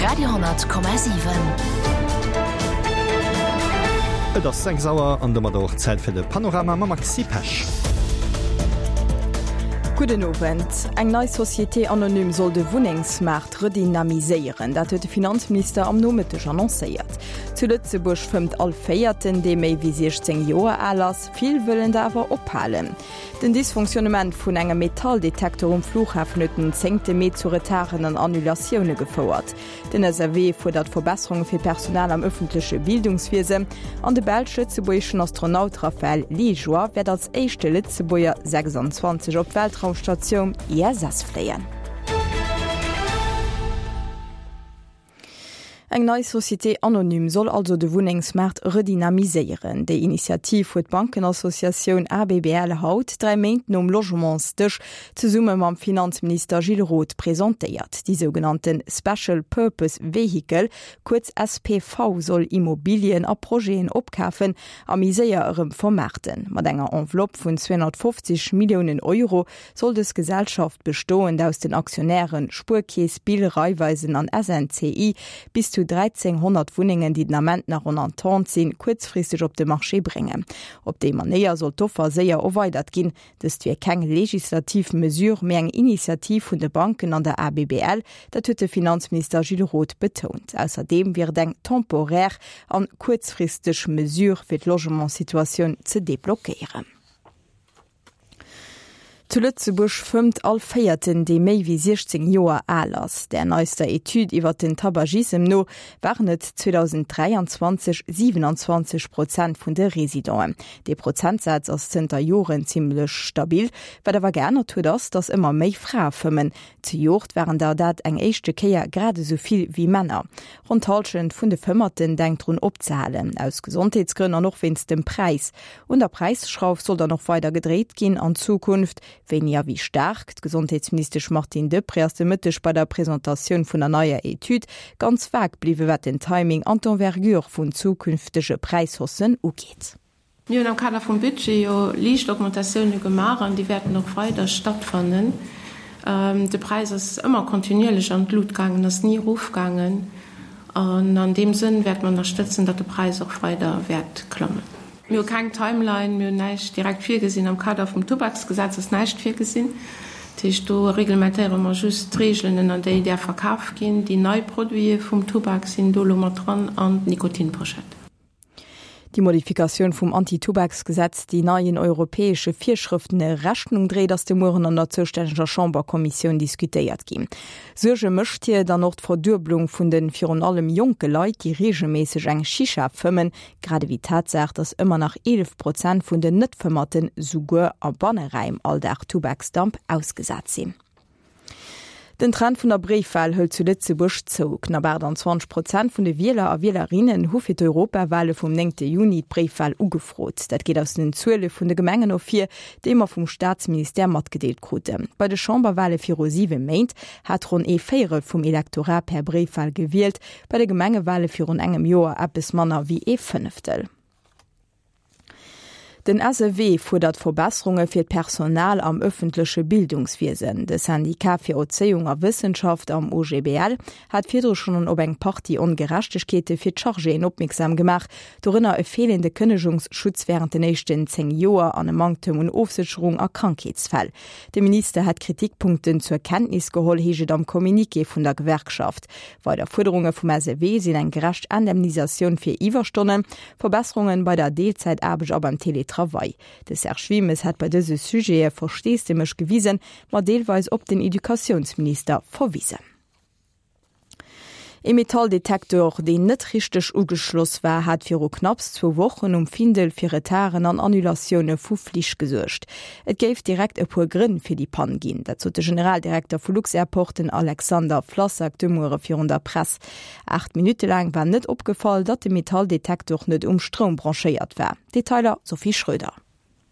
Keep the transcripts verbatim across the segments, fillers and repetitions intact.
Radio hundert Komma siwen. Et ass sechs Auer an domadder och Zäit fir de Panorama mam Maxi Pesch. Gudden Owend. Eng nei Société anonyme soll de Wunnengsmaart redynamiséieren. Dat huet de Finanzminister am Nomëtteg annoncéiert. Zu Lëtzebuerg fëmmt all Véierten, dee méi wéi siechzéng Joer al ass. Vill wëllen der awer ophalen. Den Dysfonctionnement vun engem Metalldetektor um Flughafen huet den zéngte Mee zu Retarden an Annulatioune gefouert. Den S A W fuerdert Verbesserunge fir d'Personal am ëffentleche Bildungswiesen an de belsch-lëtzebuergeschen Astronaut Raphaël Liégeois wäert als éischte Lëtzebuerger sechsanzwanzeg op d'Weltraumstatioun I S S fléien. Eng nei Société anonyme soll also de Wunnengsmaart redynamiséieren. Déi Initiativ huet d'Bankenassociatioun A B B L haut, dräi Méint nom Logementsdësch, zesumme mam Finanzminister Gilles Roth presentéiert. Déi sougenannte Special Purpose Vehicle, kuerz S P V, soll Immobilien a Projeten opkafen a méi séier erëm vermaarten. Mat enger Enveloppe vun zweehonnertfofzeg Milliounen Euro soll dës Gesellschaft, bestoend aus den Aktionären Spuerkeess, B I L, Raiffeisen an S N C I, bis zu dräizénghonnert Wunnengen, déi den Ament nach en attente sinn, kuerzfristeg op de Marché bréngen. Op déi Manéier soll d'Offer séier erweidert ginn. Dëst wier keng legislativ Mesure, mee eng Initiativ vun de Banken an der A B B L, dat huet de Finanzminister Gilles Roth betount. Ausserdeem wier et eng temporär an kuerzfristeg Mesure fir d'Logementssituatioun ze deblockéieren. Zu Lëtzebuerg fëmmt all Véierten, dee méi wéi siechzéng Joer al ass. Der neister Etüd iwwer den Tabagism no waren et zweedausenddräianzwanzeg siewenundzwanzeg Prozent vun de Residenten. Dee Prozentsaz ass zënter Joren zimmlech stabil. Wat awer geännert huet ass, datt ëmmer méi Frae fëmmen. Zejoert waren der dat eng éischte Kéier grad esou vill wéi Männer. Ronn d'Hallschent vun de Fëmmerten denkt drun opzehalen, aus Gesondheetsgrënn an och wéinst dem Präis. Un der Präisschrauf soll dann och weider gedréit ginn an Zukunft. Wéini a wéi staark? D'Gesondheetsministesch Martine Deprez ass de Mëtteg bei der Presentatioun vun der neier Etüd ganz vag bliwwen, wat den Timing an d'Envergure vun zukünftege Präishaussen ugeet. Mir hunn am Kader vum Budget jo liicht Augmentatioune gemaach an déi wäerten och weider stattfannen. De Präis ass ëmmer kontinuierlech an d'Lut gaangen, ass ni erofgaangen. An an deem Sënn wäerte mer ënnerstëtzen, datt de Präis och weider wäert klammen. Mir hu keng Timeline, mir hunn näischt direkt virgesinn. Am Kader vum Tubaksgesetz ass näischt virgesinn. Dat heescht, do reglementéiere mer just d'Reegelen, ënner déi däerf verkaf ginn. Déi nei Produite vum Tubak sinn do elo mat dran an d'Nikotinposchett. Déi Modifikatioun vum Anti-Tubaksgesetz, déi neien europäesche Virschrëften Rechnung dréit, ass de Mueren an der zoustänneger Chamberkommissioun diskutéiert ginn. Suerge mécht hir dann och d'Verdueblung vun den virun allem jonke Leit, déi reegelméisseg eng Shisha fëmmen, grad ewéi d'Tatsaach, datt ëmmer nach eelef Prozent vun den Net-Fëmmerten souguer a Banneräim all Dag Tubaksdamp ausgesat sinn. Den Trend vun der Bréifwal hëlt zu Lëtzebuerg zou. Knapp aachtanzwanzeg Prozent vun de Wieler a Wielerinnen hu fir d'Europawale vum néngte Juni d'Bréifwal ugefrot. Dat geet aus den Zuele vun de Gemengen ervir, déi mer vum Staatsministère matgedeelt kruten. Bei de Chamberwale viru siwe Méint hat ronn ee Véierel vum Elektorat per Bréifwal gewielt, bei de Gemengewale virun engem Joer eppes manner wéi ee Fënneftel. Den S E W fuerdert Verbesserunge fir d'Personal am ëffentleche Bildungswiesen. De Syndikat fir Erzéiung a Wëssenschaft am O G B L hat virdru schonn op eng Partie Ongerechtegkeete fir d'Chargéen opmierksam gemaach, dorënner e feelende Kënnegungsschutz wärend den éischten zéng Joer an e Manktem un Ofsécherung a Krankheetsfäll. De Minister hätt d'Kritikpunkten zur Kenntnis geholl, heescht et am Communiqué vun der Gewerkschaft. Weider Fuerderunge vum S E W sinn eng gerecht Indemnisatioun fir Iwwerstonnen, Verbesserunge bei der Deelzäitaarbecht a beim Teletravail. De Serge Wilmes hat bei dëse Sujete Versteesdemech gewisen, ma deelweis op den Educatiounsminister verwisen. E Metalldetektor, deen net richteg ugeschloss war, hat viru knapps zwou Wochen um Findel fir Retarden an Annulatioune vu Flich gesuergt. Et géif direkt e puer Grënn fir déi Pann ginn. Dat sot de Generaldirekter vu Lux-Airport, den Alexander Flassak, de Muere virun der Press. Aacht Minutte laang war net opgefall, datt de Metalldetektor net um Stroum branchéiert war. Detailer Sophie Schröder.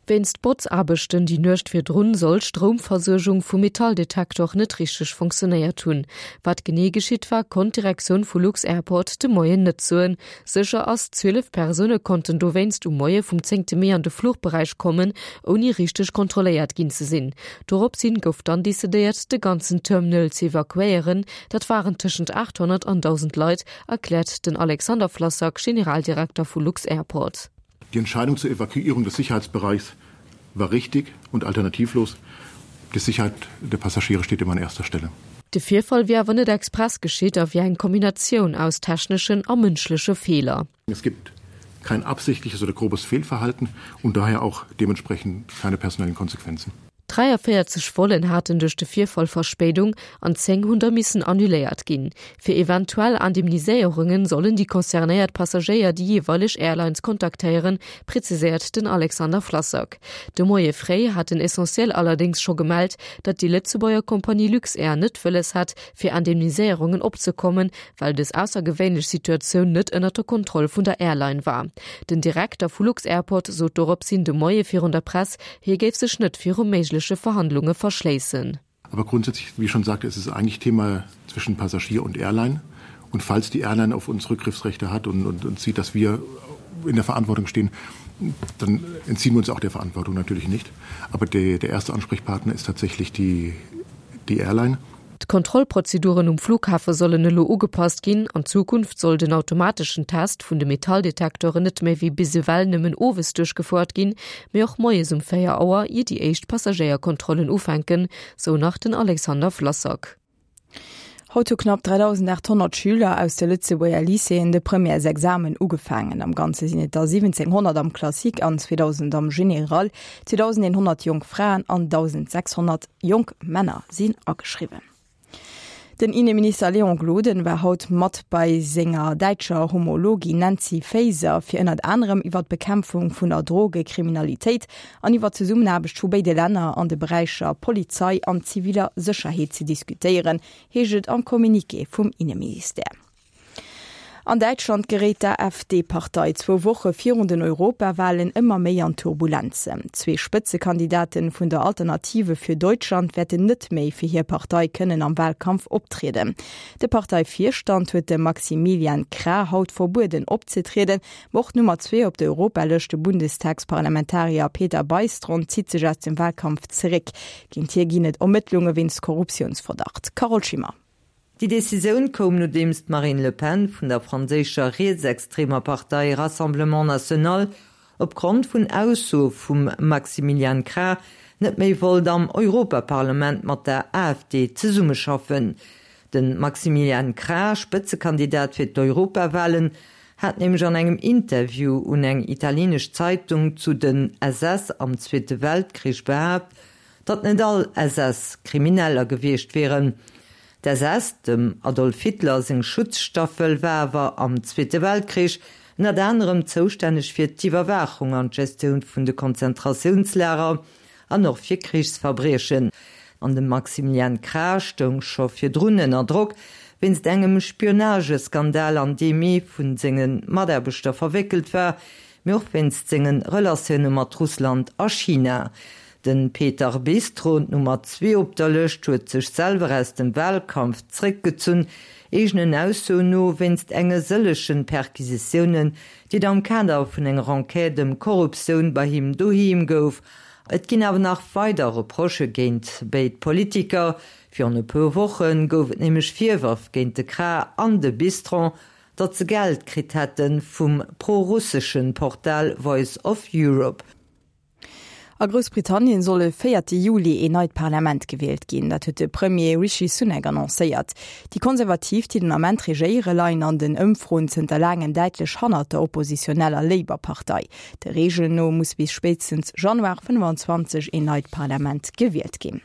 Wéinst Botzaarbechten déi Nuecht virdrun soll d'Stroumversuergung vum Metalldetektor net richteg funktionéiert hunn. Wat genee geschitt war, konnt d'Direktioun vu lux-Airport de Moien net soen. Sécher ass, zwielef Persoune konnten dowéinst um Moie vum zéngte Mee an de Fluchberäich kommen, ouni richteg kontrolléiert ginn ze sinn. Doropshin gouf dann decidéiert, de ganzen Terminal ze evakuéieren. Dat waren tëschent achthonnert an dausend Leit, erkläert den Alexander Flassak, Generaldirekter vu lux-Airport. Die Entscheidung zur Evakuierung des Sicherheitsbereichs war richtig und alternativlos. Die Sicherheit der Passagiere steht immer an erster Stelle. De Virfall wier awer net express geschitt a wier eng Kombinatioun aus techneschen a mënschleche Feeler. Es gibt kein absichtliches oder grobes Fehlverhalten und daher auch dementsprechend keine personellen Konsequenzen. dräiavéierzeg Vollen haten duerch de Virfall Verspéidung an zéng hunn der missen annuléiert ginn. Fir eventuell Indemniséierunge sollen déi concernéiert Passagéier déi jeeweileg Airlines kontaktéieren, präziséiert den Alexander Flassak. De Moie fréi hat den Essentiel allerdéngs scho gemellt, datt déi Lëtzebuerger Kompanie Luxair net wëlles hätt, fir Indemniséierungen opzekommen, well dës aussergewéinlech Situatioun net ënnert der Kontroll vun der Airline war. Den Direkter vu lux-Airport sot doropshin de Moie virun der Press, hie géif sech net viru méigleche Verhandlunge verschléissen. Aber grundsätzlich, wie ich schon sagte, ist es eigentlich Thema zwischen Passagier und Airline. Und falls die Airline auf uns Rückgriffsrechte hat und, und, und sieht, dass wir in der Verantwortung stehen, dann entziehen wir uns auch der Verantwortung natürlich nicht. Aber der, der erste Ansprechpartner ist tatsächlich die, die Airline. D'Kontrollprozeduren um Flughafe sollen elo ugepasst ginn. An Zukunft soll den automateschen Test vun de Metalldetektoren net méi wéi bis ewell nëmmen owes duerchgefouert ginn, mee och moies um véier Auer, ier déi éischt Passagéierkontrollen ufänken, sou nach den Alexander Flassak. Haut hu knapp dräidausendachthonnert Schüler aus de Lëtzebuerger Lycéeën de Premièresexamen ugefaangen. Am Ganze sinn et der siwwenzénghonnert am Classique an zweedausend am Général. zweedausendeenhonnert jonk Fraen an dausendsechshonnert jonk Männer sinn ageschriwwen. Den Inneminister Léon Gloden war haut mat bei senger däitscher Homologin Nancy Faeser fir ënnert anerem iwwer d'Bekämpfung vun der Drogekriminalitéit an iwwer d'Zesummenaarbecht vu béide Länner an de Beräicher Polizei an ziviler Sécherheet ze diskutéieren, heescht et am Communiqué vum Inneministère. An Däitschland geréit d'AfD-Partei zwou Woche virun den Europawalen ëmmer méi an Turbulenzen. Zwee Spëtzekandidaten vun der Alternative für Deutschland wäerten net méi fir hir Partei kënnen am Walkampf optrieden. De Parteivirstand huet dem Maximilian Krah haut verbueden opzetrieden. Ma och d'Nummer zwee op der Europalëscht, de Bundestagsparlamentarier Peter Bystron, zitt sech aus dem Walkampf zeréck. Géint hie ginn et Ermëttlunge wéinst Korruptiounsverdacht. Carole Schimmer. Déi Decisioun koum nodeems d'Marine Le Pen vun der franséischer rietsextremer Partei Rassemblement National opgrond vun Aussoe vum Maximilian Krah net méi wollt am Europaparlament mat der AfD zesummeschaffen. De Maximilian Krah, Spëtzekandidat fir d'Europawalen, hat nämlech an engem Interview un eng italienesch Zeitung zu den S S am Zweete Weltkrich behaapt, datt net all S S Krimineller gewiescht wieren. D' S S, dem Adolf Hitler seng Schutzstaffel, war awer am Zweete Weltkrich ënnert anerem zoustänneg fir d'Iwwerwaachung an d'Gestioun vun de Konzentratiounslager an och fir Krichsverbriechen. An de Maximilian Krah stoung scho virdrun ënner Drock wéinst engem Spionageskandal, an deem ee vu senge Mataarbechter verwéckelt war, mee och wéinst senge Relatioune mat Russland a China. De Peter Bystron, d'Nummer zwee op der Lëscht, huet sech selwer aus dem Wahlkampf zréckgezunn, eegenen Aussoen no wéinst enge sëllege Perquisitiounen, déi et am Kader vun enger Enquête ëm Korruptioun bei him doheem gouf. Et ginn awer nach weider Reprochë géint béid Politiker. Virun e puer Woche gouf et nämlech Virwërf géint de Krah an de Bystron, datt se Geld kritt hätte vum pro-russesche Portal Voice of Europe. A Groussbritannien soll e véierte Juli een neit Parlament gewielt ginn. Dat huet de Premier Rishi Sunak annoncéiert. Déi Konservativ, déi den Ament regéiere, leien an den Ëmfroen zënter laangem däitlech hannert der oppositioneller Labour-Partei. Der Reegel no muss bis spéitstens Januar fënnefanzwanzeg een neit Parlament gewielt ginn.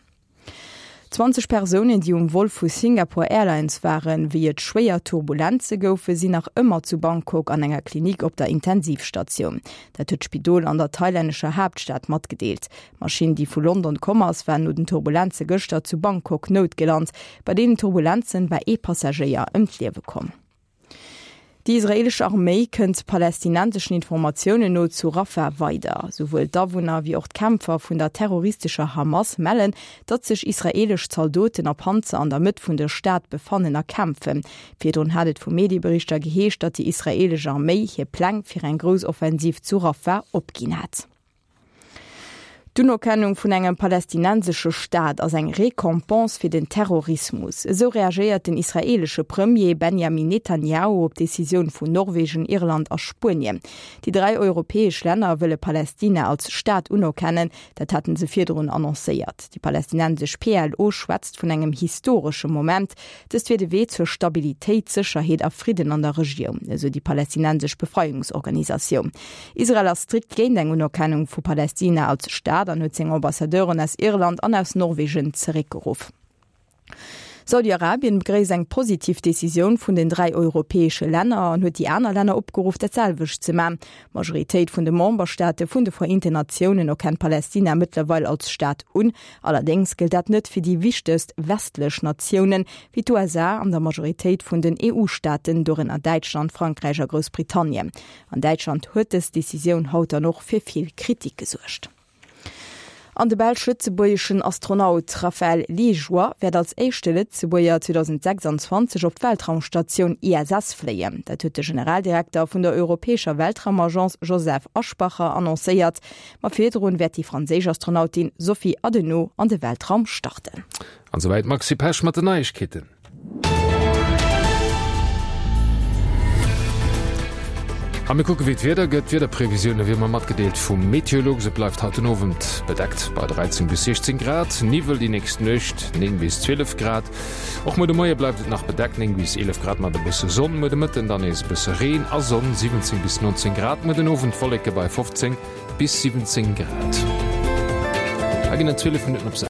Zwanzeg Persounen, déi um Vol vu Singapore Airlines waren, wéi et schwéier Turbulenze goufen, sinn nach ëmmer zu Bangkok an enger Klinik op der Intensivstatioun. Dat huet d'Spidol an der thailännescher Haaptstad matgedeelt. D'Maschinn, déi vu London komm ass, war no den Turbulenze gëschter zu Bangkok noutgelant. Bei deenen Turbulenzen war ee Passagéier ëm d'Liewe komm. Déi israeelesch Arméi kënnt palästinenseschen Informatiounen no zu Rafah weider. Souwuel d'Awunner wéi och d'Kämpfer vun der terroristescher Hamas mellen, datt sech israeelesch Zaldoten a Panzer an der Mëtt vun der Stad befannen a kämpfen. Virdrun hat et vu Medieberichter geheescht, datt déi israeelesch Arméi hir Pläng fir eng grouss Offensiv zu Rafah opginn hätt. D'Unerkennung vun engem palästinensesche Staat ass eng Récompense fir den Terrorismus. Esou reagéiert den israeelesche Premier Benjamin Netanjahu op d'Decisioun vun Norwegen, Irland a Spuenien. Déi dräi europäesch Länner wëlle Palästina als Staat unerkennen, dat haten se virdrun annoncéiert. Déi palästinensesch PLO schwätzt vun engem historesche Moment. Dëst wier de Wee zur Stabilitéit, Sécherheet a Fridden an der Regioun, esou déi palästinensesch Befreiungsorganisatioun. Israel ass strikt géint eng Unerkennung vu Palästina als Staat an huet seng Ambassadeuren aus Irland an aus Norwegen zeréckgeruff. Saudi-Arabien begréisst eng positiv Decisioun vun den dräi europäesche Länner an huet déi aner Länner opgeruff, dat selwecht ze man. D'Majoritéit vun de Memberstaate vun de Vereenten Natiounen erkennt Palästina mëttlerweil als Staat un. Allerdéngs gëllt dat net fir déi wichtegst westlech Natiounen, wéi d'USA an der Majoritéit vun den EU-Staaten, dorënner Däitschland, Frankräich a Groussbritannien. An Däitschland huet dës Decisioun haut dann och fir vill Kritik gesuergt. An de belsch-lëtzebuergeschen Astronaut Raphaël Liégeois wäert als éischte Lëtzebuerger zweedausendsechsanzwanzeg op d'Weltraumstatioun I S S fléien. Dat huet de Generaldirekter vun der Europäescher Weltraumagence Josef Aschbacher annoncéiert. Ma virdrun wäert déi franséisch Astronautin Sophie Adenot an de Weltraum starten. An souwäit d'Maxi Pesch mat den Neiegkeeten. A mir kucke wéi d'Wieder gëtt. D'Wiederprevisioune wéi ëmmer matgedeelt vum Meteolux. Et bleift haut den Owend bedeckt bei dräizéng bis siechzéng Grad, Niwwel déi nächst Nuecht, néng bis zwielef Grad. Och muer de Moie bleift et nach bedeckt, néng bis eelef Grad mat e bësse Sonn. Muer de Mëtten dann nees e bësse Reen a Sonn, siwwenzéng bis nonzéng Grad. Muer den Owend Wolleke bei fofzéng bis siwwenzéng Grad. Hei ginn et zwielef Minutten op sechs.